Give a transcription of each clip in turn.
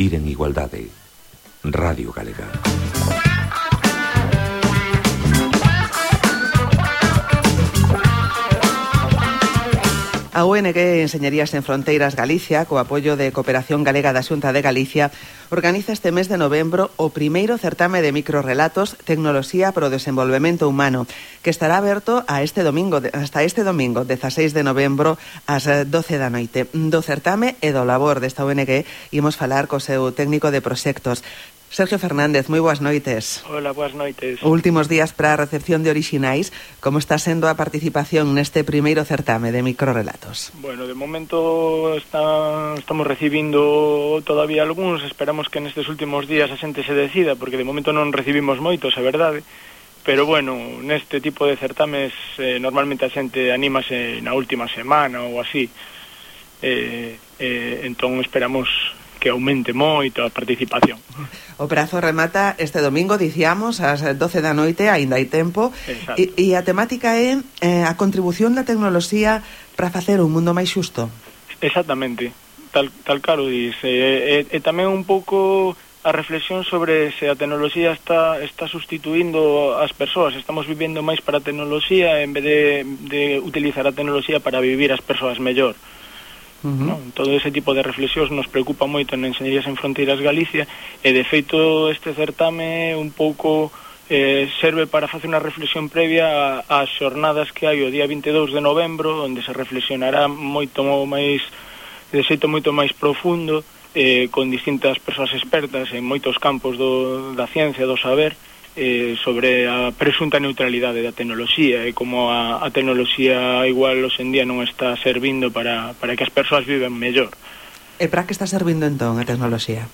vivir en igualdade. Radio Galega. A ONG Enseñarías en Fronteiras Galicia, co apoio de Cooperación Galega da Xunta de Galicia, organiza este mes de novembro o primeiro certame de microrrelatos Tecnoloxía para o Desenvolvemento Humano, que estará aberto hasta este domingo, 16 de novembro, ás 12 da noite. Do certame e do labor desta ONG imos falar co seu técnico de proxectos, Sergio Fernández. Moi boas noites. Hola, boas noites. Últimos días para a recepción de orixinais. Como está sendo a participación neste primeiro certame de microrrelatos? Bueno, de momento estamos recibindo todavía algúns. Esperamos que nestes últimos días a xente se decida, porque de momento non recibimos moitos, é verdade. Pero bueno, neste tipo de certames normalmente a xente anímase na última semana ou así. Entón esperamos que aumente moito a participación. O prazo remata este domingo, dicíamos, ás 12 da noite, aínda hai tempo. E a temática é a contribución da tecnoloxía para facer un mundo máis xusto. Exactamente, tal caro dice. E tamén un pouco a reflexión sobre se a tecnoloxía está sustituindo as persoas. Estamos vivendo máis para a tecnoloxía en vez de utilizar a tecnoloxía para vivir as persoas mellor. No? Todo ese tipo de reflexións nos preocupa moito en Enseñarías en Fronteiras Galicia, e de feito este certame un pouco serve para facer unha reflexión previa ás xornadas que hai o día 22 de novembro, onde se reflexionará moito máis, de xeito moito máis profundo, con distintas persoas expertas en moitos campos da ciencia, do saber, sobre a presunta neutralidade da tecnoloxía e como a tecnoloxía igual hoxendía non está servindo para que as persoas viven mellor. E para que está servindo entón a tecnoloxía?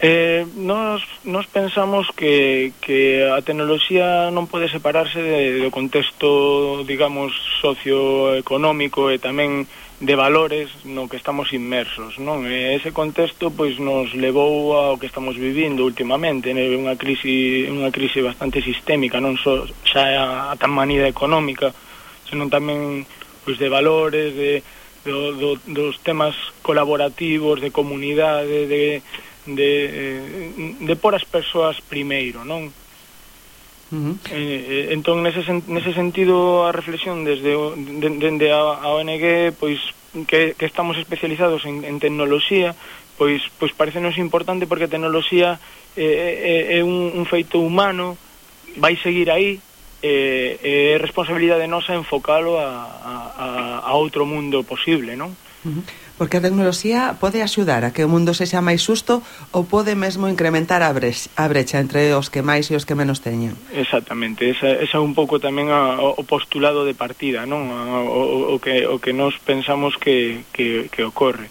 Nos pensamos que a tecnoloxía non pode separarse do contexto, digamos, socioeconómico e tamén de valores no que estamos inmersos, non? E ese contexto pois nos levou ao que estamos vivindo últimamente, unha crise bastante sistémica, non só xa a tan manida económica, senón tamén pois de valores, dos temas colaborativos, de comunidade, de por as persoas primeiro, non? Entón nese sentido a reflexión dende a ONG pois que estamos especializados en tecnoloxía, pois parecenos importante, porque a tecnoloxía é un feito humano, vai seguir aí, é responsabilidade nosa enfocalo a outro mundo posible, non? Porque a tecnoloxía pode axudar a que o mundo sexa máis xusto, ou pode mesmo incrementar a brecha entre os que máis e os que menos teñen. Exactamente, esa é un pouco tamén o postulado de partida, non? O que nos pensamos que ocorre.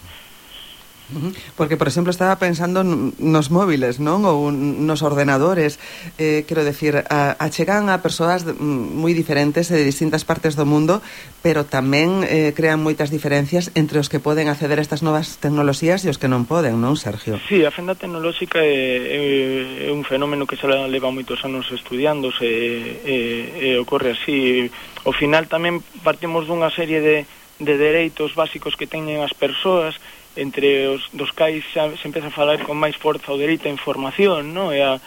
Porque, por exemplo, estaba pensando nos móviles, non? Ou nos ordenadores. Quero decir, achegan a persoas moi diferentes de distintas partes do mundo, pero tamén crean moitas diferencias entre os que poden acceder a estas novas tecnoloxías e os que non poden, non, Sergio? Sí, a fenda tecnolóxica é un fenómeno que xa leva moitos anos estudiándose e ocorre así. Ao final tamén partimos dunha serie de dereitos básicos que teñen as persoas, entre os dos cais xa se empeza a falar con máis forza o dereito á información, no? E a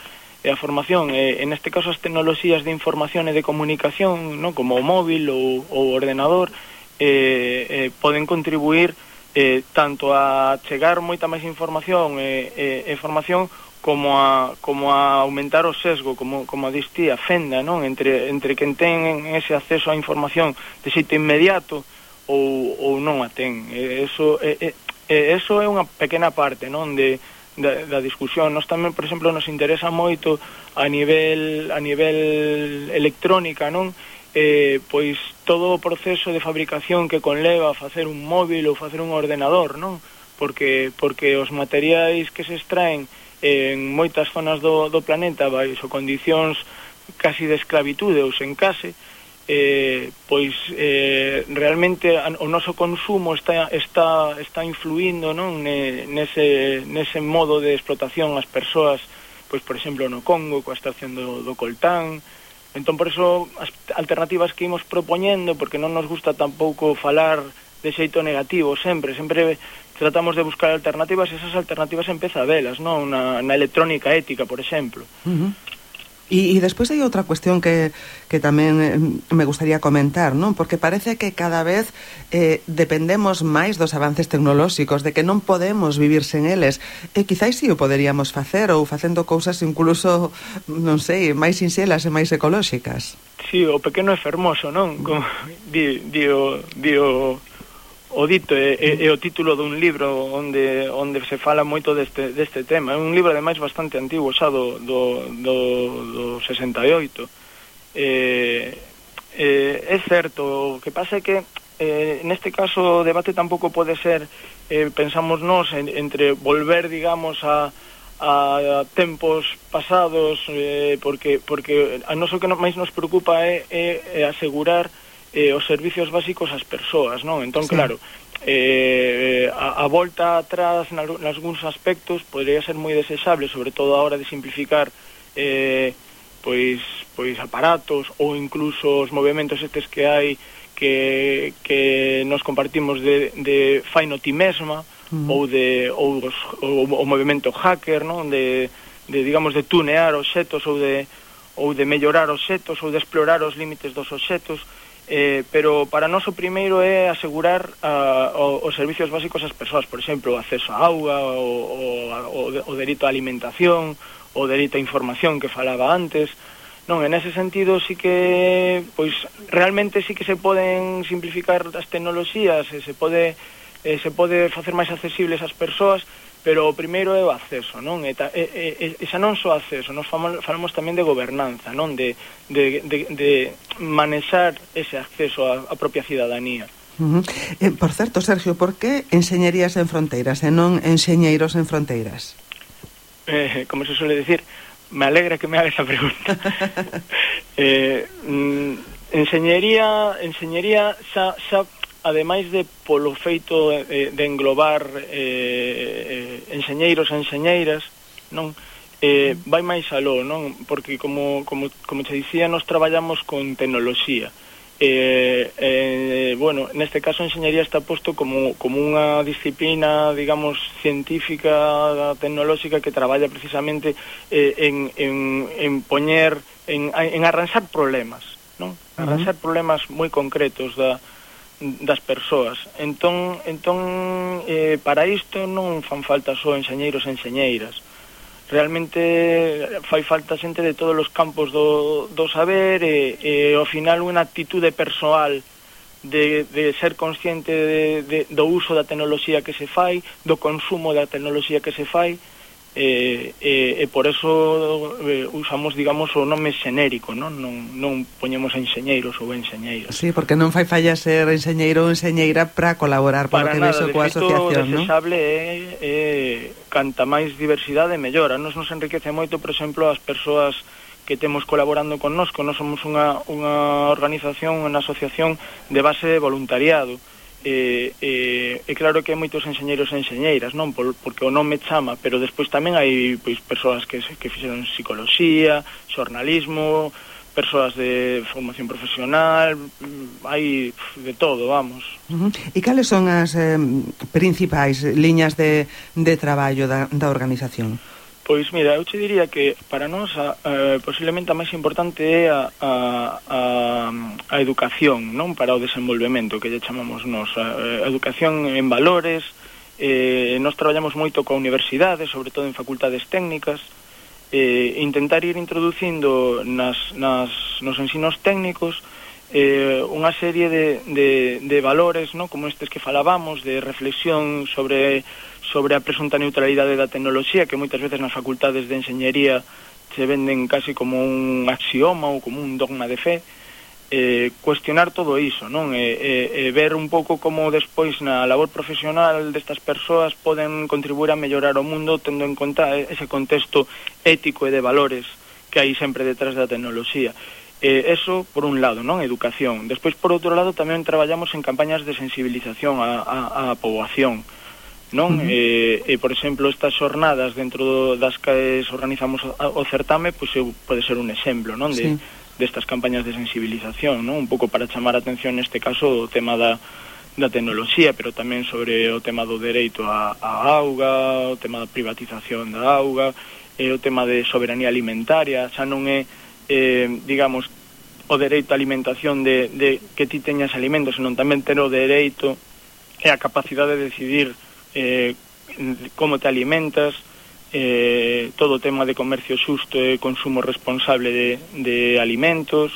formación, en este caso as tecnoloxías de información e de comunicación, no? Como o móvil ou o ordenador, poden contribuir tanto a chegar moita máis información e formación como a aumentar o sesgo, como a distí, a fenda, non? Entre quen ten ese acceso á información de xeito inmediato ou non a ten. Eso é unha pequena parte, non, da discusión. Nos tamén, por exemplo, nos interesa moito a nivel electrónica, non? Pois todo o proceso de fabricación que conleva a facer un móvil ou facer un ordenador, non? Porque os materiais que se extraen en moitas zonas do planeta baixo condicións casi de esclavitude ou sen case, pois realmente o noso consumo está influindo, non, nese modo de explotación ás persoas, pois por exemplo no Congo coa extracción do coltán. Entón por eso as alternativas que imos propoñendo, porque non nos gusta tampouco falar de xeito negativo sempre tratamos de buscar alternativas, e esas alternativas empeza a velas, non? Na electrónica ética, por exemplo. E despois hai outra cuestión que tamén me gustaría comentar, non? Porque parece que cada vez dependemos máis dos avances tecnolóxicos, de que non podemos vivir sen eles. E quizáis si o poderíamos facer, ou facendo cousas incluso, non sei, máis sinxelas e máis ecolóxicas. Sí, o pequeno é fermoso, non? Como o dito é o título dun libro onde se fala moito deste tema. É un libro ademais bastante antigo, xa do 68. É certo, o que pasa é que neste caso o debate tampouco pode ser, pensamos nós, entre volver, digamos, a tempos pasados, porque a nós o que máis nos preocupa é asegurar os servicios básicos ás persoas, non? Entón, sí. Claro, a volta atrás nalgúns aspectos podría ser moi desexable, sobre todo a hora de simplificar pois aparatos ou incluso os movimentos estes que hai que nos compartimos de faino ti mesma, ou o movimento hacker, non? De digamos, de tunear obxetos ou de mellorar obxetos ou de explorar os límites dos obxetos. Pero para nós o primeiro é asegurar os servicios básicos ás persoas, por exemplo, o acceso á auga, o dereito á alimentación, o dereito á información que falaba antes. Non, en ese sentido sí que, pois, realmente sí que se poden simplificar as tecnoloxías, se pode facer máis accesibles ás persoas, pero o primeiro é o acceso, non? E xa non só acceso, nos falamos tamén de gobernanza, non? De manexar ese acceso á propia cidadanía. Por certo, Sergio, por que Enxeñerías en Fronteiras e non Enxeñeiros en Fronteiras? Como se suele decir, me alegra que me haga esa pregunta. Enxeñería xa ademais de polo feito de englobar enxeñeiros e enxeñeiras, non? Vai máis aló, non? Porque como te dicía, nos traballamos con tecnoloxía. Bueno, neste caso enxeñería está posto como unha disciplina, digamos, científica, tecnolóxica, que traballa precisamente en poñer, en arranxar problemas, non? Arranxar problemas moi concretos das persoas. Entón, para isto non fan falta só enxeñeiros e enxeñeiras. Realmente fai falta xente de todos os campos do saber e ao final unha actitude persoal de ser consciente do uso da tecnoloxía que se fai, do consumo da tecnoloxía que se fai, e por eso usamos, digamos, o nome xenérico, non poñemos enxeñeiros ou enxeñeiras. Sí, porque non fai falla ser enxeñeiro ou enxeñeira para colaborar para que vexo coa asociación, non? Desexable é canta máis diversidade mellora. Nos enriquece moito, por exemplo, as persoas que temos colaborando con nós somos unha organización, unha asociación de base de voluntariado. Claro que hai moitos enxeñeiros e enxeñeiras, non? Porque o nome chama, pero despois tamén hai, pois, persoas que fixeron psicoloxía, xornalismo, persoas de formación profesional, hai de todo, vamos. E cales son as principais liñas de traballo da organización? Pois mira, eu te diría que para nós posiblemente a máis importante é a educación, non? Para o desenvolvemento, que lle chamamos nós, a educación en valores. Nós traballamos moito coa universidade, sobre todo en facultades técnicas, intentar ir introducindo nos ensinos técnicos unha serie de valores, non? Como estes que falábamos, de reflexión sobre a presunta neutralidade da tecnoloxía, que moitas veces nas facultades de enxeñería se venden casi como un axioma ou como un dogma de fe. Cuestionar todo iso, non? Ver un pouco como despois na labor profesional destas persoas poden contribuir a mellorar o mundo, tendo en conta ese contexto ético e de valores que hai sempre detrás da tecnoloxía. Eso por un lado, non? Educación. Despois, por outro lado, tamén traballamos en campañas de sensibilización á poboación, non? Por exemplo, estas xornadas dentro das que organizamos o certame, pois pode ser un exemplo, non? Destas campañas de sensibilización, non? Un pouco para chamar a atención, neste caso, o tema da tecnoloxía, pero tamén sobre o tema do dereito á auga, o tema da privatización da auga, o tema de soberanía alimentaria. Xa non é, digamos, o dereito á alimentación de que ti teñas alimentos, senón tamén ter o dereito e a capacidade de decidir como te alimentas, todo o tema de comercio xusto e consumo responsable de alimentos.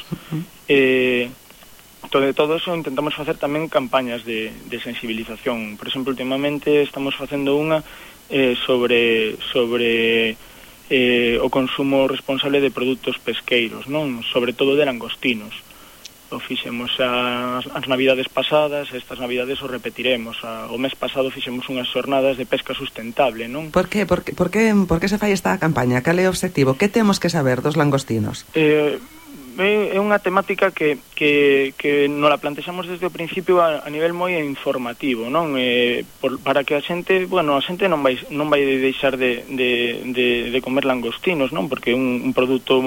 Todo eso intentamos facer tamén campañas de sensibilización. Por exemplo, últimamente estamos facendo unha sobre o consumo responsable de produtos pesqueiros, non? Sobre todo de langostinos. O fixemos as navidades pasadas, estas navidades o repetiremos. O mes pasado fixemos unhas xornadas de pesca sustentable, non? Por que se fai esta campaña? Cal é o obxectivo? Que temos que saber dos langostinos? É unha temática que nos la plantexamos desde o principio a nivel moi informativo, non? Para que a xente non vai deixar de comer langostinos, non? Porque é un produto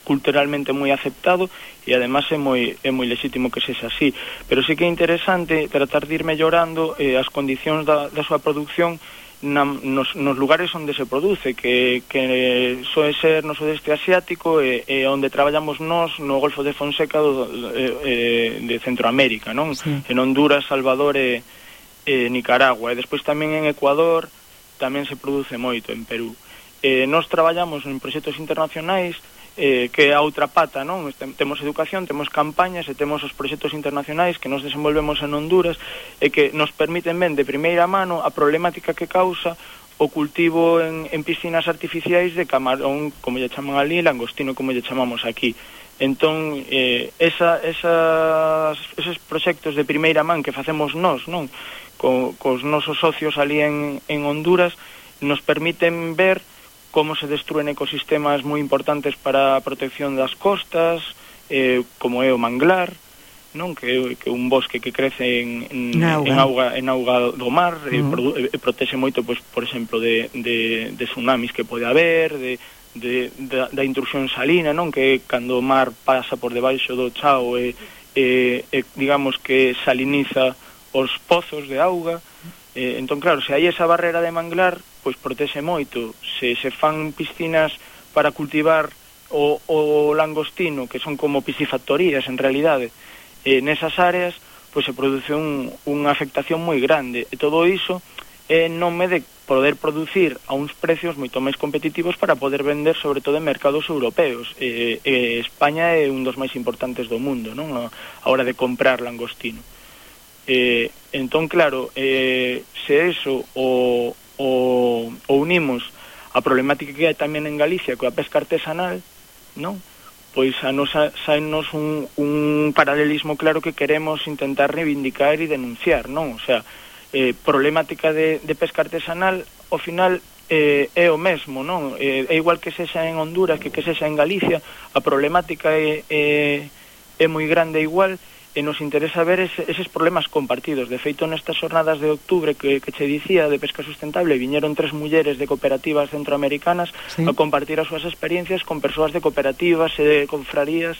culturalmente moi aceptado e además é moi lexítimo que sexa así, pero sí que é interesante tratar de ir mellorando as condicións da súa produción nos lugares onde se produce, que soe ser no sudeste asiático e onde traballamos nós no Golfo de Fonseca de Centroamérica, non? Sí. En Honduras, Salvador e Nicaragua, e despois tamén en Ecuador tamén se produce moito, en Perú. Nós traballamos en proxectos internacionais, que é a outra pata, non? Temos educación, temos campañas e temos os proxectos internacionais que nos desenvolvemos en Honduras e que nos permiten ver de primeira mano a problemática que causa o cultivo en piscinas artificiais de camarón, como lle chaman ali, langostino, como lle chamamos aquí. Entón, esos proxectos de primeira man que facemos nós, non? Cos nosos socios ali en Honduras, nos permiten ver como se destruen ecosistemas moi importantes para a protección das costas, como é o manglar, non? Que é un bosque que crece en auga do mar, e protexe moito, pois, por exemplo, de tsunamis que pode haber, da intrusión salina, non? Que cando o mar pasa por debaixo do chao digamos que saliniza os pozos de auga. Entón, claro, se hai esa barrera de manglar, pois protexe moito. Se fan piscinas para cultivar o langostino, que son como piscifactorías en realidade, nesas áreas, pois se produce unha afectación moi grande. E todo iso é nome de poder producir a uns precios moito máis competitivos para poder vender sobre todo en mercados europeos. España é un dos máis importantes do mundo, non? A hora de comprar langostino. Entón, claro, se eso o unimos a problemática que hai tamén en Galicia coa pesca artesanal, non? Pois a nos saenos un paralelismo claro que queremos intentar reivindicar e denunciar, non? O sea, problemática de pesca artesanal, ao final é o mesmo, non? É igual que sexa en Honduras que sexa en Galicia, a problemática é moi grande igual, e nos interesa ver eses problemas compartidos. De feito, nestas xornadas de outubro que che dicía de pesca sustentable, viñeron 3 mulleres de cooperativas centroamericanas, sí, a compartir as súas experiencias con persoas de cooperativas e de confrarías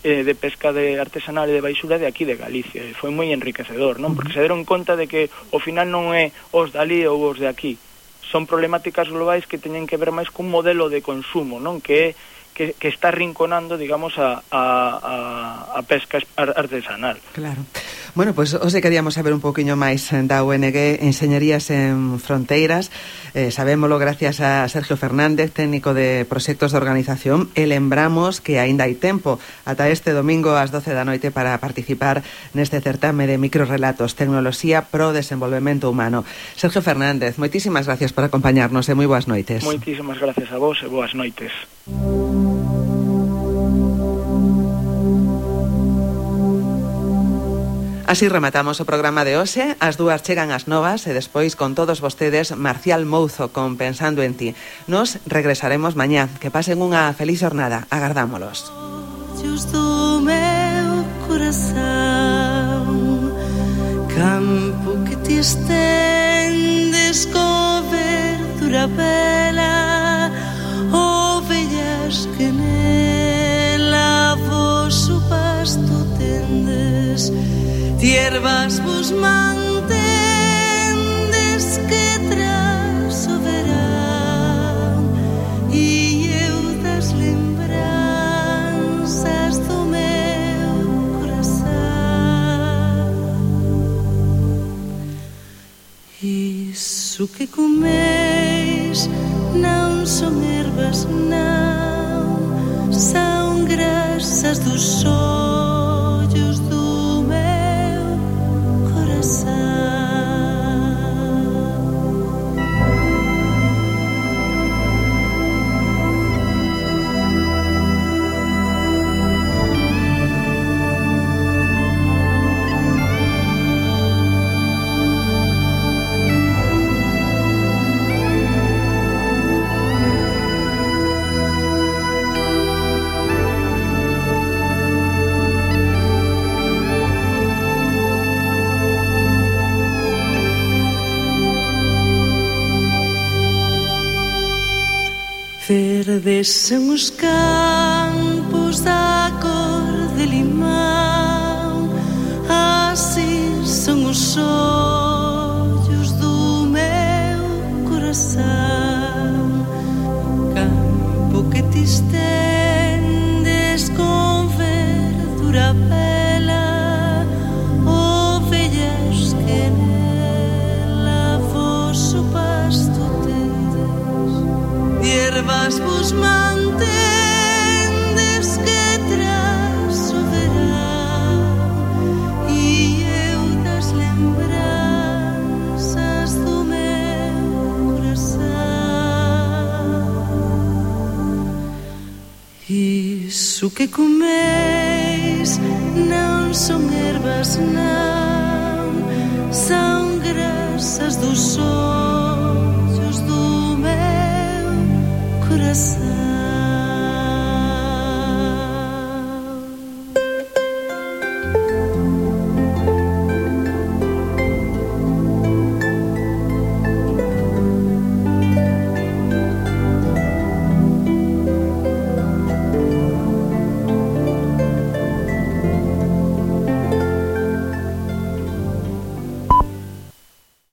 de pesca de artesanal e de baixura de aquí de Galicia. E foi moi enriquecedor, non? Porque se deron conta de que ao final non é os dali ou os de aquí. Son problemáticas globais que teñen que ver máis cun modelo de consumo, non? Que está rinconando, digamos, a pesca artesanal. Claro. Bueno, pois hoxe queríamos saber un poquinho máis da ONG Enseñarías en Fronteiras. Sabémolo gracias a Sergio Fernández, técnico de proxectos de organización, e lembramos que aínda hai tempo ata este domingo ás 12 da noite para participar neste certame de microrelatos, tecnoloxía pro desenvolvemento humano. Sergio Fernández, moitísimas gracias por acompañarnos e moi boas noites. Moitísimas gracias a vos e boas noites. Así rematamos o programa de hoxe. As 2 chegan as novas e despois con todos vostedes Marcial Mouzo con Pensando en ti. Nos regresaremos mañá. Que pasen unha feliz jornada. Agardámolos. Do meu coração, campo que te estendes, cobertura bela, ovellas que nela vosso pasto tendes, Tiervas vos mantendes que tras o verán e eu das lembranzas do meu corazón. Iso que comeis non son ervas, non, son grasas dos ollos do meu corazón. Verdes son os campos da cor de limão, así son os ollos do meu coração. Campo que te estendes con verdura bela, ovellas que nela vosso pasto hierbas vos mantendes que tras o verán e eu das lembranzas do meu corazón. Iso que comeis non son ervas, non, son grasas dos ollos do meu corazón.